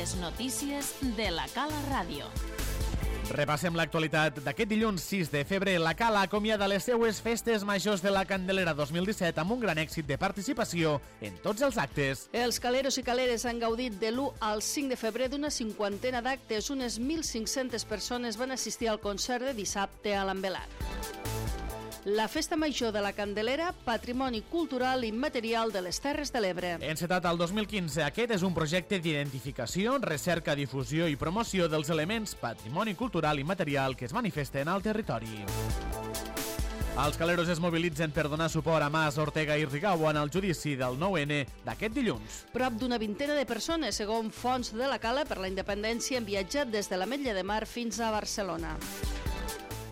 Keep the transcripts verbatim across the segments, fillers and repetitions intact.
Les notícies de la Cala Ràdio. Repassem l'actualitat d'aquest dilluns sis de febrer. La Cala acomiada les seues festes majors de la Candelera dos mil disset amb un gran èxit de participació en tots els actes. Els caleros i caleres han gaudit de l'u al cinc de febrer d'una cinquantena d'actes. Unes mil cinc-centes persones van assistir al concert de dissabte a l'Envelat. La Festa Major de la Candelera, patrimoni cultural immaterial de les Terres de l'Ebre. Encetat al dos mil quinze, aquest és un projecte d'identificació, recerca, difusió i promoció dels elements patrimoni cultural immaterial que es manifesten al territori. Els caleros es mobilitzen per donar suport a Mas, Ortega i Rigau en el judici del nou ene d'aquest dilluns. Prop d'una vintena de persones, segons fonts de la Cala per la Independència, han viatjat des de l'Ametlla de Mar fins a Barcelona.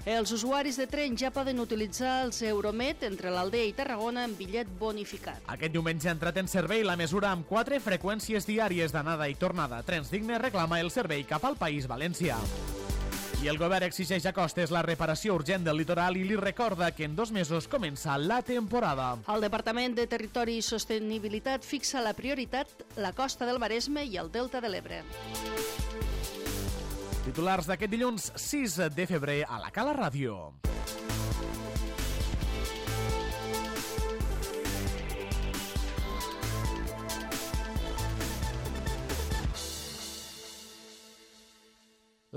Els usuaris de tren ja poden utilitzar els Euromet entre l'Aldea i Tarragona amb bitllet bonificat. Aquest diumenge ha entrat en servei la mesura amb quatre freqüències diàries d'anada i tornada. Trens Digne reclama el servei cap al País Valencià. I el govern exigeix a Costes la reparació urgent del litoral i li recorda que en dos mesos comença la temporada. El Departament de Territori i Sostenibilitat fixa la prioritat la costa del Maresme i el Delta de l'Ebre. Titulars d'aquest dilluns sis de febrer a la Cala Ràdio.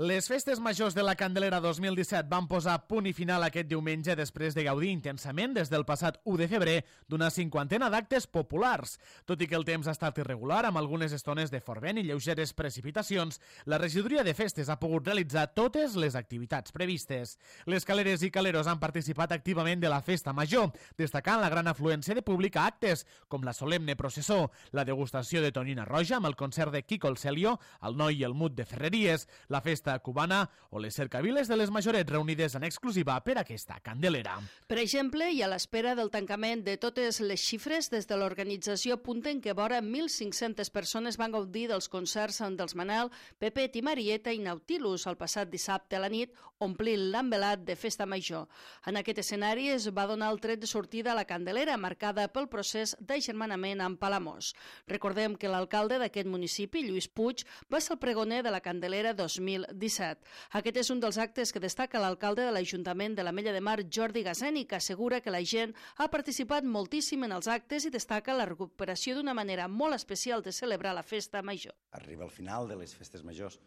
Les festes majors de la Candelera dos mil disset van posar punt i final aquest diumenge després de gaudir intensament des del passat u de febrer d'una cinquantena d'actes populars. Tot i que el temps ha estat irregular, amb algunes estones de fort vent i lleugeres precipitacions, la regidoria de festes ha pogut realitzar totes les activitats previstes. Les caleres i caleros han participat activament de la festa major, destacant la gran afluència de públic a actes, com la solemne processó, la degustació de tonyina roja amb el concert de Quico el Celio, el Noi i el Mut de Ferreries, la festa cubana o les cercaviles de les majorets reunides en exclusiva per aquesta Candelera. Per exemple, i a l'espera del tancament de totes les xifres, des de l'organització apunten que vora mil cinc-centes persones van gaudir dels concerts dels Manel, Pepet i Marieta i Nautilus el passat dissabte a la nit, omplint l'Envelat de Festa Major. En aquest escenari es va donar el tret de sortida a la Candelera, marcada pel procés d'agermanament amb Palamós. Recordem que l'alcalde d'aquest municipi, Lluís Puig, va ser el pregoner de la Candelera dos mil disset. Aquest és un dels actes que destaca l'alcalde de l'Ajuntament de l'Ametlla de Mar, Jordi Gazeni, que assegura que la gent ha participat moltíssim en els actes i destaca la recuperació d'una manera molt especial de celebrar la festa major. Arriba al final de les festes majors,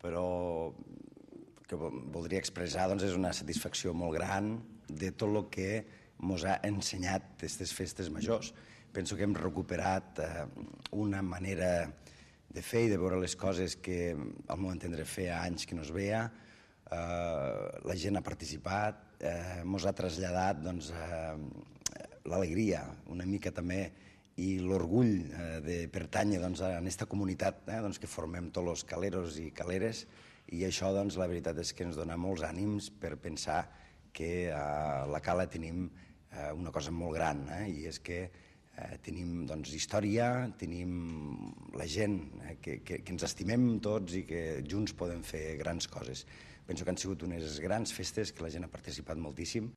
però que voldria expressar doncs, és una satisfacció molt gran de tot el que ens ha ensenyat aquestes festes majors. Penso que hem recuperat eh, una manera de fer i de veure les coses que al meu entendre feia anys que no es veia. Eh, la gent ha participat, eh, ens ha traslladat doncs, eh, l'alegria una mica també i l'orgull eh, de pertànyer doncs, a aquesta comunitat eh, doncs, que formem tots els caleros i caleres, i això doncs, la veritat és que ens dona molts ànims per pensar que a la Cala tenim eh, una cosa molt gran, eh, i és que Eh, tenim doncs, història, tenim la gent eh, que, que, que ens estimem tots i que junts podem fer grans coses. Penso que han sigut unes grans festes que la gent ha participat moltíssim.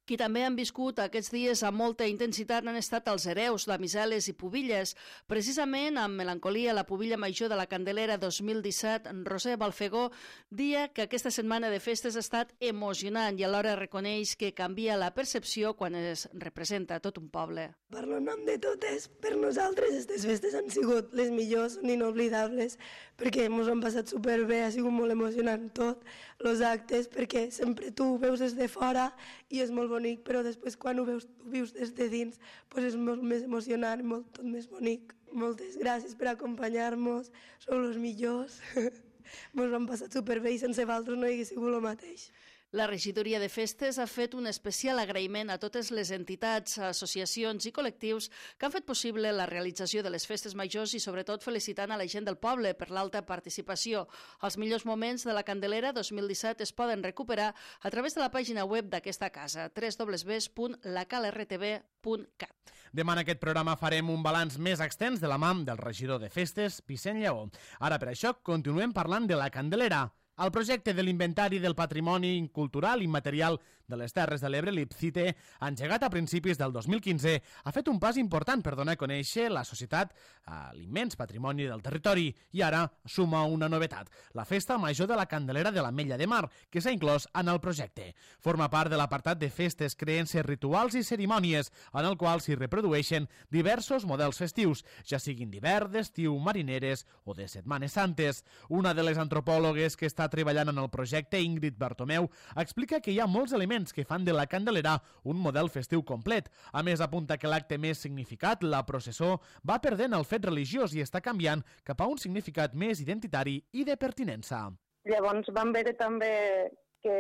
Qui també han viscut aquests dies amb molta intensitat han estat els hereus, damiseles i pubilles. Precisament amb melancolia la pubilla major de la Candelera dos mil disset, Roser Balfegó, dia que aquesta setmana de festes ha estat emocionant i alhora reconeix que canvia la percepció quan es representa tot un poble. Parlo en nom de totes, per nosaltres aquestes festes han sigut les millors, són inoblidables, perquè ens han passat superbé, ha sigut molt emocionant tot, els actes, perquè sempre tu ho veus des de fora i és molt bonic, però després quan ho veus, ho vius des de dins, doncs és molt més emocionant i molt, tot més bonic. Moltes gràcies per acompanyar-nos, sou els millors, ens ho hem passat superbé i sense vosaltres no hi hagués sigut el mateix. La regidoria de festes ha fet un especial agraïment a totes les entitats, associacions i col·lectius que han fet possible la realització de les festes majors i sobretot felicitant a la gent del poble per l'alta participació. Els millors moments de la Candelera dos mil disset es poden recuperar a través de la pàgina web d'aquesta casa, w w w punt la cal r t v punt cat. Demà en aquest programa farem un balanç més extens de la mà del regidor de festes, Vicent Lleó. Ara per això continuem parlant de la Candelera. El projecte de l'Inventari del Patrimoni Cultural Immaterial de les Terres de l'Ebre, l'IPCITE, engegat a principis del dos mil quinze, ha fet un pas important per donar a conèixer la societat a l'immens patrimoni del territori i ara suma una novetat, la Festa Major de la Candelera de l'Ametlla de Mar, que s'ha inclòs en el projecte. Forma part de l'apartat de festes, creences, rituals i cerimònies, en el qual s'hi reprodueixen diversos models festius, ja siguin d'hivern, d'estiu, marineres o de Setmanes Santes. Una de les antropòlogues que està treballant en el projecte, Ingrid Bartomeu, explica que hi ha molts elements que fan de la Candelera un model festiu complet. A més, apunta que l'acte més significat, la processó, va perdent el fet religiós i està canviant cap a un significat més identitari i de pertinença. Llavors vam veure també que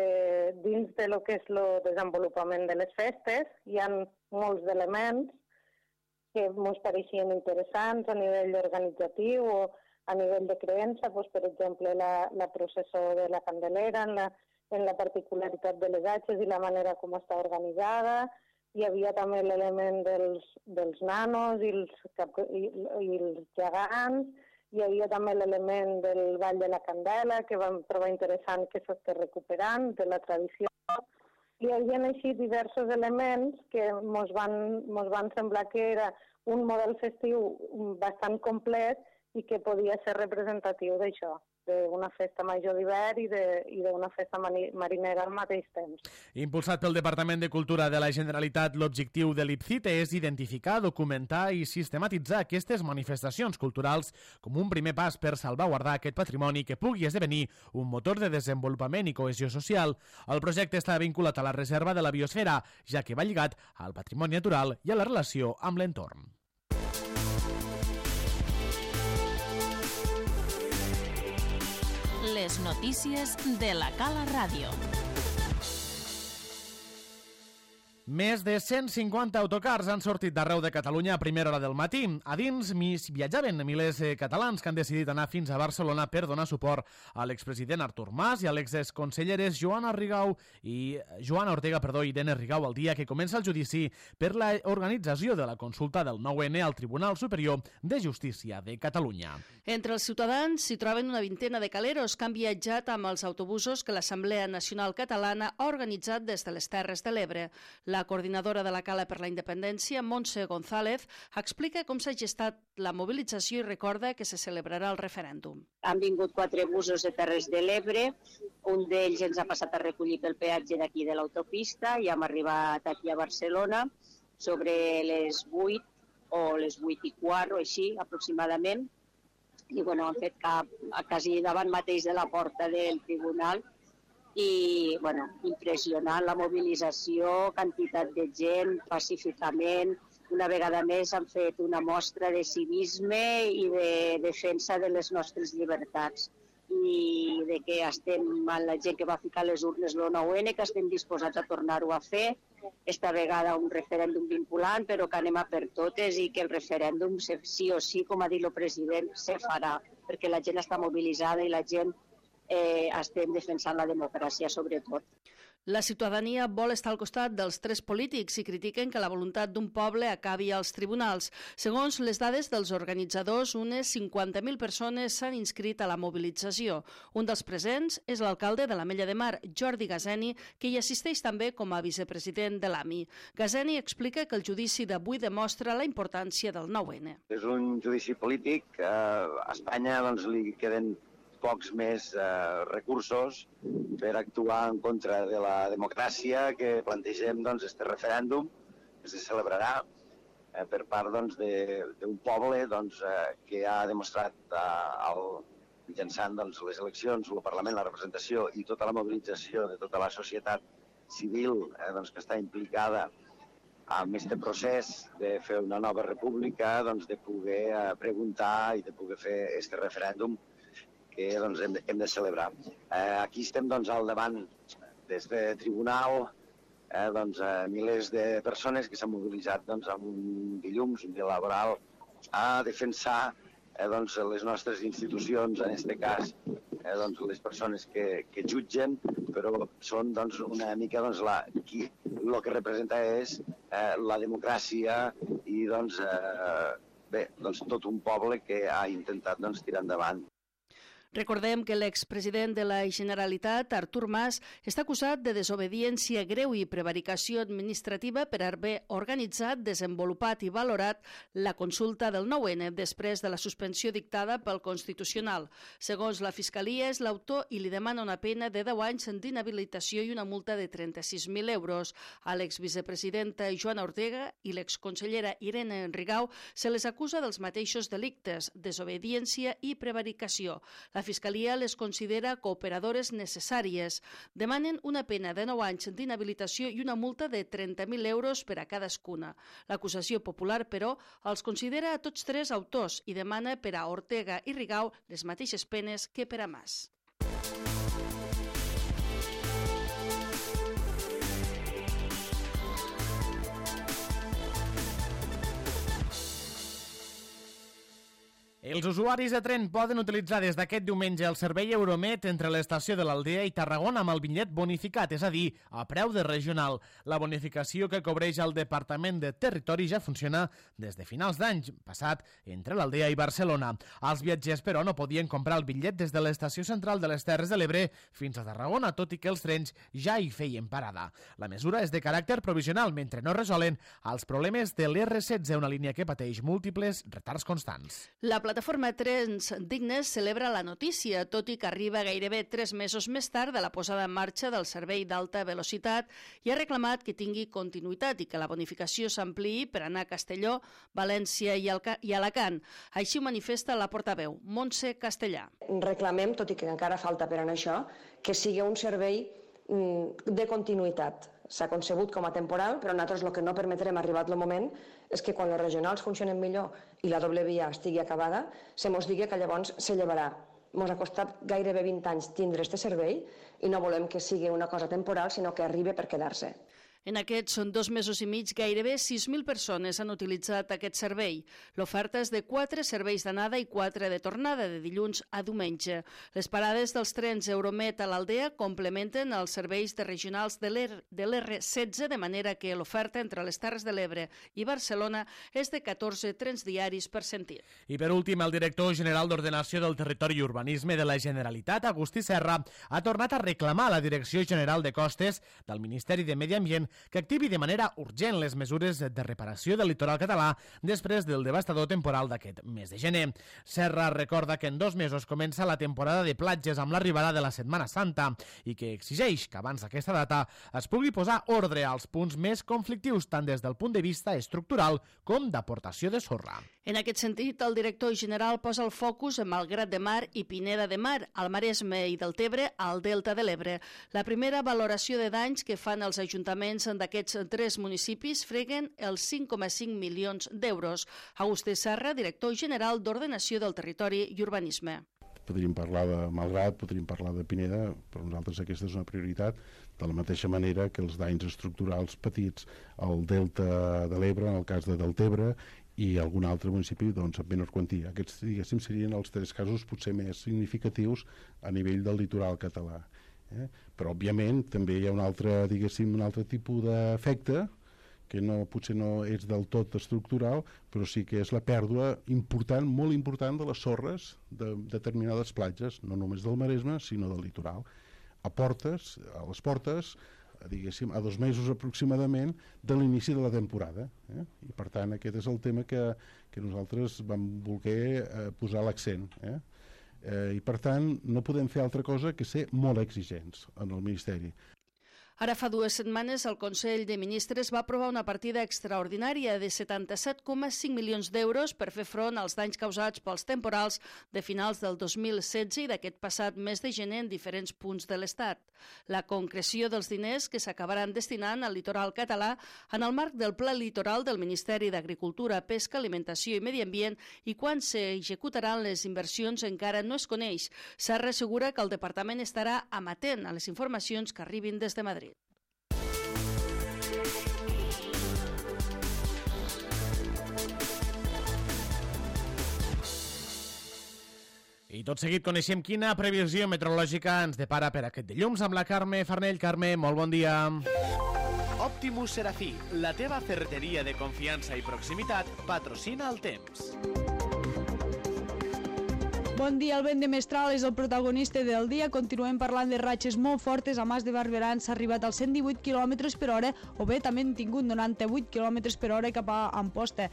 dins de lo que és el desenvolupament de les festes hi ha molts elements que ens pareixien interessants a nivell organitzatiu o a nivell de creença, doncs, per exemple, la, la processó de la Candelera, en la, en la particularitat de les atxes i la manera com està organitzada. Hi havia també l'element dels, dels nanos i els, cap, i, i els gegants. Hi havia també l'element del Ball de la Candela, que vam trobar interessant que s'està recuperant, de la tradició. Hi havia així diversos elements que ens van, mos van semblar que era un model festiu bastant complet i que podia ser representatiu d'això, d'una festa major d'hivern i d'una festa marinera al mateix temps. Impulsat pel Departament de Cultura de la Generalitat, l'objectiu de l'IPCITE és identificar, documentar i sistematitzar aquestes manifestacions culturals com un primer pas per salvaguardar aquest patrimoni que pugui esdevenir un motor de desenvolupament i cohesió social. El projecte està vinculat a la reserva de la biosfera, ja que va lligat al patrimoni natural i a la relació amb l'entorn. Les notícies de la Cala Ràdio. Més de cent cinquanta autocars han sortit d'arreu de Catalunya a primera hora del matí. A dins viatjaven milers de catalans que han decidit anar fins a Barcelona per donar suport a l'expresident Artur Mas i a l'exconselleres Joana Rigau i Joana Ortega, perdó, i Irene Rigau el dia que comença el judici per la organització de la consulta del nou ene al Tribunal Superior de Justícia de Catalunya. Entre els ciutadans s'hi troben una vintena de caleros que han viatjat amb els autobusos que l'Assemblea Nacional Catalana ha organitzat des de les Terres de l'Ebre. La coordinadora de la Cala per la Independència, Montse González, explica com s'ha gestat la mobilització i recorda que se celebrarà el referèndum. Han vingut quatre busos de Terres de l'Ebre, un d'ells ens ha passat a recollir pel peatge d'aquí de l'autopista i hem arribat aquí a Barcelona sobre les vuit o les vuit i quart o així aproximadament. I bueno, han fet cap, quasi davant mateix de la porta del tribunal i bueno, impressionant la mobilització, quantitat de gent, pacíficament. Una vegada més han fet una mostra de civisme i de defensa de les nostres llibertats i de que estem amb la gent que va ficar les urnes el nou ene, que estem disposats a tornar-ho a fer. Esta vegada un referèndum vinculant, però que anem a per totes i que el referèndum, sí o sí, com ha dit el president, se farà, perquè la gent està mobilitzada i la gent eh, estem defensant la democràcia sobretot. La ciutadania vol estar al costat dels tres polítics i critiquen que la voluntat d'un poble acabi als tribunals. Segons les dades dels organitzadors, unes cinquanta mil persones s'han inscrit a la mobilització. Un dels presents és l'alcalde de l'Ametlla de Mar, Jordi Gazeni, que hi assisteix també com a vicepresident de l'A M I. Gazeni explica que el judici d'avui demostra la importància del nou ene. És un judici polític. A Espanya doncs, li queden pocs més eh, recursos per actuar en contra de la democràcia que plantegem doncs, este referèndum que se celebrarà eh, per part doncs, d'un poble doncs, eh, que ha demostrat eh, el, mitjançant doncs, les eleccions, el Parlament, la representació i tota la mobilització de tota la societat civil eh, doncs, que està implicada en aquest procés de fer una nova república, doncs, de poder eh, preguntar i de poder fer aquest referèndum que doncs, hem, de, hem de celebrar. Eh, aquí estem doncs, al davant d'aquest tribunal, eh, doncs, eh, milers de persones que s'han mobilitzat doncs, amb un dilluns, un dia laboral, a defensar eh, doncs, les nostres institucions, en aquest cas eh, doncs, les persones que, que jutgen, però són doncs, una mica doncs, la, qui, el que representa és eh, la democràcia i doncs, eh, bé, doncs, tot un poble que ha intentat doncs, tirar endavant. Recordem que l'expresident de la Generalitat, Artur Mas, està acusat de desobediència greu i prevaricació administrativa per haver organitzat, desenvolupat i valorat la consulta del nou ene després de la suspensió dictada pel Constitucional. Segons la Fiscalia, és l'autor i li demana una pena de deu anys d'inhabilitació i una multa de trenta-sis mil euros. A l'exvicepresidenta Joana Ortega i l'exconsellera Irene Rigau se les acusa dels mateixos delictes, desobediència i prevaricació. La Fiscalia les considera cooperadores necessàries. Demanen una pena de nou anys d'inhabilitació i una multa de trenta mil euros per a cadascuna. L'acusació popular, però, els considera a tots tres autors i demana per a Ortega i Rigau les mateixes penes que per a Mas. Els usuaris de tren poden utilitzar des d'aquest diumenge el servei Euromet entre l'estació de l'Aldea i Tarragona amb el bitllet bonificat, és a dir, a preu de regional. La bonificació que cobreix el Departament de Territori ja funciona des de finals d'any passat entre l'Aldea i Barcelona. Els viatgers, però, no podien comprar el bitllet des de l'estació central de les Terres de l'Ebre fins a Tarragona, tot i que els trens ja hi feien parada. La mesura és de caràcter provisional, mentre no resolen els problemes de l'erre setze, una línia que pateix múltiples retards constants. La La plataforma Trens Dignes celebra la notícia, tot i que arriba gairebé tres mesos més tard de la posada en marxa del servei d'alta velocitat i ha reclamat que tingui continuïtat i que la bonificació s'ampliï per anar a Castelló, València i Alacant. Així ho manifesta la portaveu, Montse Castellà. Reclamem, tot i que encara falta per anar això, que sigui un servei de continuïtat. S'ha concebut com a temporal, però nosaltres el que no permetrem, arribat el moment, és que quan les regionals funcionen millor i la doble via estigui acabada, se mos digui que llavors se llevarà. Ens ha costat gairebé vint anys tindre aquest servei i no volem que sigui una cosa temporal, sinó que arribi per quedar-se. En aquests són dos mesos i mig, gairebé sis mil persones han utilitzat aquest servei. L'oferta és de quatre serveis d'anada i quatre de tornada, de dilluns a diumenge. Les parades dels trens Euromet a l'Aldea complementen els serveis de regionals de l'erre setze, de manera que l'oferta entre les Terres de l'Ebre i Barcelona és de catorze trens diaris per sentit. I per últim, el director general d'Ordenació del Territori i Urbanisme de la Generalitat, Agustí Serra, ha tornat a reclamar a la Direcció General de Costes del Ministeri de Medi Ambient que activi de manera urgent les mesures de reparació del litoral català després del devastador temporal d'aquest mes de gener. Serra recorda que en dos mesos comença la temporada de platges amb l'arribada de la Setmana Santa i que exigeix que abans d'aquesta data es pugui posar ordre als punts més conflictius tant des del punt de vista estructural com d'aportació de sorra. En aquest sentit, el director general posa el focus en Malgrat de Mar i Pineda de Mar, al Maresme i del Tebre, al Delta de l'Ebre. La primera valoració de danys que fan els ajuntaments d'aquests tres municipis freguen els cinc coma cinc milions d'euros. Agustí Serra, director general d'Ordenació del Territori i Urbanisme. Podríem parlar de Malgrat, podríem parlar de Pineda, per nosaltres aquesta és una prioritat, de la mateixa manera que els danys estructurals petits al Delta de l'Ebre, en el cas de Deltebre, i algun altre municipi doncs, amb menor quantia. Aquests, diguéssim, serien els tres casos potser més significatius a nivell del litoral català. Eh? Però, òbviament, també hi ha un altre, diguéssim, un altre tipus d'efecte que no, potser no és del tot estructural, però sí que és la pèrdua important, molt important, de les sorres de determinades platges, no només del Maresme, sinó del litoral. A portes, a les portes, diguéssim, a dos mesos aproximadament de l'inici de la temporada. Eh? I, per tant, aquest és el tema que, que nosaltres vam voler eh, posar l'accent. Eh? Eh, I, per tant, no podem fer altra cosa que ser molt exigents en el Ministeri. Ara fa dues setmanes el Consell de Ministres va aprovar una partida extraordinària de setanta-set coma cinc milions d'euros per fer front als danys causats pels temporals de finals del dos mil setze i d'aquest passat mes de gener en diferents punts de l'Estat. La concreció dels diners que s'acabaran destinant al litoral català en el marc del Pla Litoral del Ministeri d'Agricultura, Pesca, Alimentació i Medi Ambient i quan s'executaran les inversions encara no es coneix. Serra assegura que el departament estarà amatent a les informacions que arribin des de Madrid. I tot seguit coneixem quina previsió meteorològica ens depara per aquest dilluns amb la Carme Farnell. Carme, molt bon dia. Optimus Serafí, la teva ferreteria de confiança i proximitat, patrocina el temps. Bon dia, el vent de mestral és el protagonista del dia. Continuem parlant de ratxes molt fortes. A Mas de Barberans s'ha arribat als cent divuit quilòmetres per hora, o bé també han tingut noranta-vuit quilòmetres per hora cap a Amposta.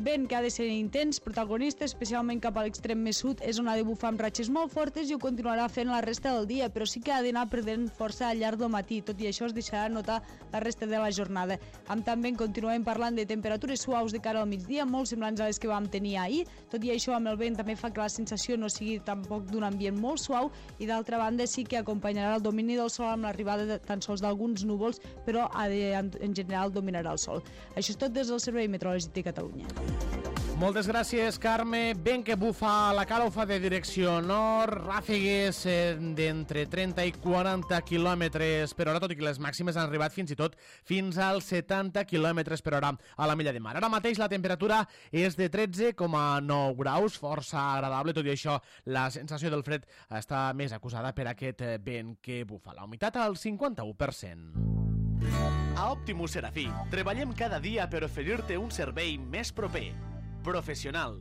Vent que ha de ser intens, protagonista, especialment cap a l'extrem més sud, és on ha de bufar amb ratxes molt fortes i ho continuarà fent la resta del dia, però sí que ha d'anar perdent força al llarg del matí, tot i això es deixarà notar la resta de la jornada. Amb també continuem parlant de temperatures suaus de cara al migdia, molt semblants a les que vam tenir ahir, tot i això amb el vent també fa que la sensació no sigui tampoc d'un ambient molt suau i d'altra banda sí que acompanyarà el domini del sol amb l'arribada de, tan sols d'alguns núvols, però en general dominarà el sol. Això és tot des del Servei Meteorològic de Catalunya. Moltes gràcies, Carme. Vent que bufa, la cara ho fa de direcció nord, ràfegues d'entre trenta i quaranta quilòmetres per hora, tot i que les màximes han arribat fins i tot fins als setanta quilòmetres per hora a la Mella de Mar. Ara mateix la temperatura és de tretze coma nou graus, força agradable, tot i això la sensació del fred està més acusada per aquest vent que bufa. La humitat al cinquanta-u per cent. A Optimus Serafí treballem cada dia per oferir-te un servei més proper, professional,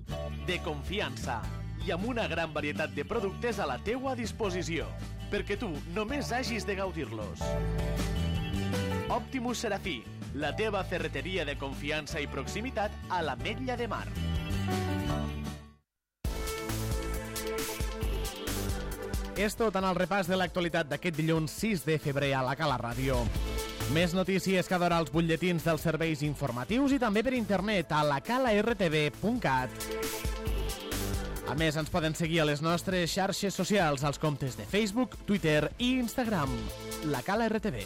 de confiança i amb una gran varietat de productes a la teua disposició, perquè tu només hagis de gaudir-los. Optimus Serafí, la teva ferreteria de confiança i proximitat a l'Ametlla de Mar. És tot en el repàs de l'actualitat d'aquest dilluns sis de febrer a la Cala Ràdio. Més notícies cada hora als butlletins dels serveis informatius i també per internet a la cala r t v punt cat. A més, ens poden seguir a les nostres xarxes socials, als comptes de Facebook, Twitter i Instagram. La Cala R T V.